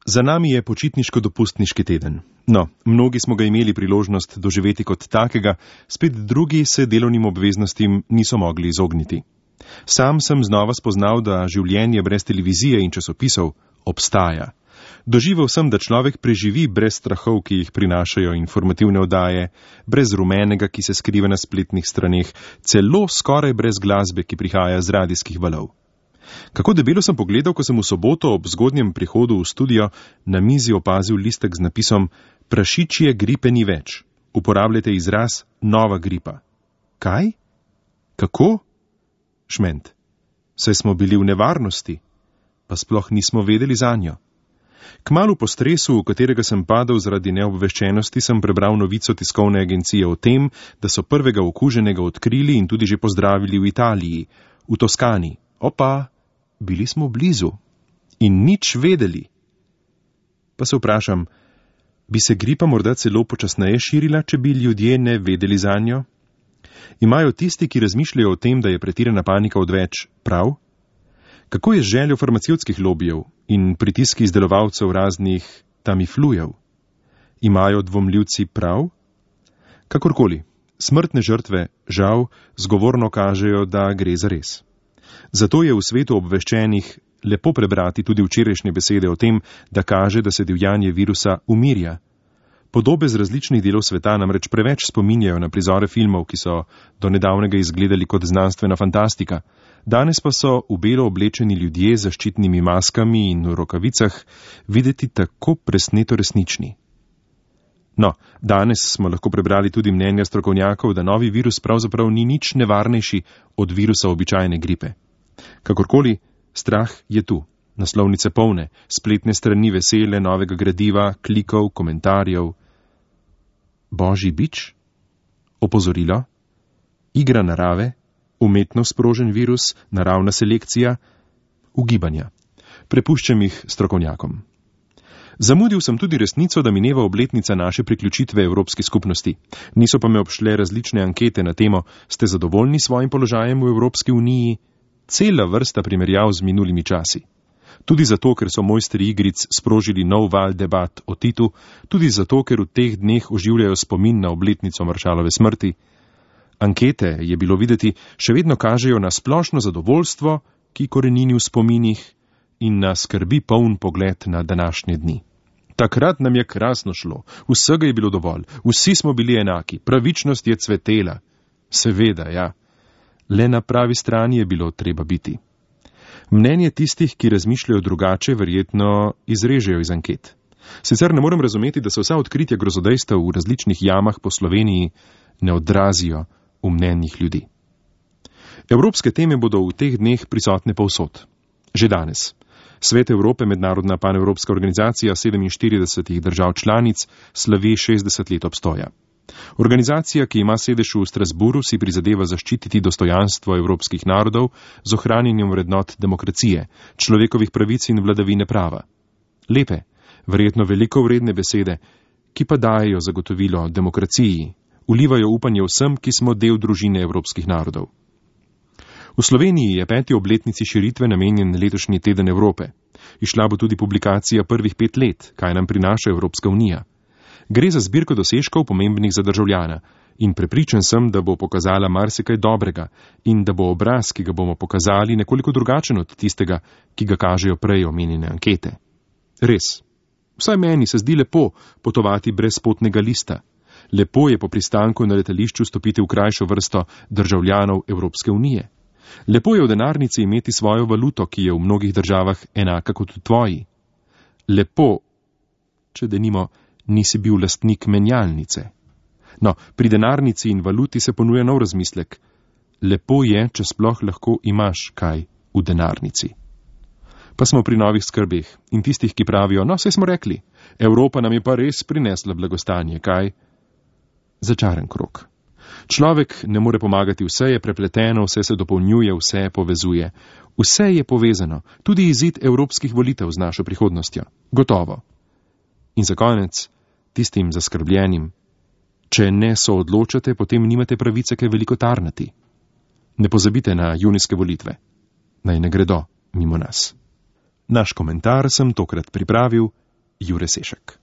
Za nami je počitniško-dopustniški teden. No, mnogi smo ga imeli priložnost doživeti kot takega, spet drugi se delovnim obveznostim niso mogli izogniti. Sam sem znova spoznal, da življenje brez televizije in časopisov obstaja. Doživel sem, da človek preživi brez strahov, ki jih prinašajo informativne oddaje, brez rumenega, ki se skriva na spletnih straneh, celo skoraj brez glasbe, ki prihaja z radijskih valov. Kako debelo sem pogledal, ko sem v soboto ob zgodnjem prihodu v studio na mizi opazil listek z napisom Prašičje gripe ni več. Uporabljajte izraz nova gripa. Kaj? Kako? Šment. Saj smo bili v nevarnosti, pa sploh nismo vedeli zanjo. Kmalu po stresu, v katerega sem padel zaradi neobveščenosti, sem prebral novico tiskovne agencije o tem, da so prvega okuženega odkrili in tudi že pozdravili v Italiji, v Toskani. Opa, bili smo blizu in nič vedeli. Pa se vprašam, bi se gripa morda celo počasneje širila, če bi ljudje ne vedeli zanjo? Imajo tisti, ki razmišljajo o tem, da je pretirana panika odveč, prav? Kako je z željo farmacevtskih lobijev in pritiski izdelovalcev raznih tamiflujev? Imajo dvomljivci prav? Kakorkoli, smrtne žrtve, žal, zgovorno kažejo, da gre za res. Zato je v svetu obveščenih lepo prebrati tudi včerajšnje besede o tem, da kaže, da se divjanje virusa umirja. Podobe z različnih delov sveta namreč preveč spominjajo na prizore filmov, ki so do nedavnega izgledali kot znanstvena fantastika. Danes pa so v belo oblečeni ljudje z zaščitnimi maskami in v rokavicah videti tako presneto resnični. No, danes smo lahko prebrali tudi mnenja strokovnjakov, da novi virus pravzaprav ni nič nevarnejši od virusa običajne gripe. Kakorkoli, strah je tu. Naslovnice polne, spletne strani vesele, novega gradiva, klikov, komentarjev. Božji bič? Opozorilo? Igra narave? Umetno sprožen virus? Naravna selekcija? Ugibanja. Prepuščam jih strokovnjakom. Zamudil sem tudi resnico, da mineva obletnica naše priključitve Evropski skupnosti. Niso pa me obšle različne ankete na temo, ste zadovoljni s svojim položajem v Evropski uniji? Cela vrsta primerjav z minulimi časi. Tudi zato, ker so mojstri igric sprožili nov val debat o Titu, tudi zato, ker v teh dneh oživljajo spomin na obletnico Maršalove smrti. Ankete, je bilo videti, še vedno kažejo na splošno zadovoljstvo, ki korenini v spominih, in na skrbi poln pogled na današnje dni. Takrat nam je krasno šlo, vsega je bilo dovolj, vsi smo bili enaki, pravičnost je cvetela. Seveda, ja. Le na pravi strani je bilo treba biti. Mnenje tistih, ki razmišljajo drugače, verjetno izrežejo iz anket. Sicer ne morem razumeti, da se vsa odkritja grozodejstev v različnih jamah po Sloveniji ne odrazijo v mnenjih ljudi. Evropske teme bodo v teh dneh prisotne povsod. Že danes. Svet Evrope, mednarodna panevropska organizacija 47 držav članic, slavi 60 let obstoja. Organizacija, ki ima sedež v Strasburu, si prizadeva zaščititi dostojanstvo evropskih narodov z ohranjanjem vrednot demokracije, človekovih pravic in vladavine prava. Lepe, verjetno veliko vredne besede, ki pa dajejo zagotovilo demokraciji, vlivajo upanje vsem, ki smo del družine evropskih narodov. V Sloveniji je 5. obletnici širitve namenjen letošnji teden Evrope. Izšla bo tudi publikacija prvih 5 let, kaj nam prinaša Evropska unija. Gre za zbirko dosežkov pomembnih za državljana in prepričan sem, da bo pokazala marsikaj dobrega in da bo obraz, ki ga bomo pokazali, nekoliko drugačen od tistega, ki ga kažejo prej omenjene ankete. Res. Vsaj meni se zdi lepo potovati brez potnega lista. Lepo je po pristanku na letališču stopiti v krajšo vrsto državljanov Evropske unije. Lepo je v denarnici imeti svojo valuto, ki je v mnogih državah enaka kot v tvoji. Lepo, če denimo nisi bil lastnik menjalnice. No, pri denarnici in valuti se ponuja nov razmislek. Lepo je, če sploh lahko imaš kaj v denarnici. Pa smo pri novih skrbeh in tistih, ki pravijo, no, saj smo rekli, Evropa nam je pa res prinesla blagostanje, kaj? Začaren krog. Človek ne more pomagati, vse je prepleteno, vse se dopolnjuje, vse povezuje. Vse je povezano, tudi izid evropskih volitev z našo prihodnostjo. Gotovo. In za konec, tistim zaskrbljenim, če ne so odločate, potem nimate pravice kaj veliko tarnati. Ne pozabite na junijske volitve. Naj ne gredo mimo nas. Naš komentar sem tokrat pripravil Jure Sešek.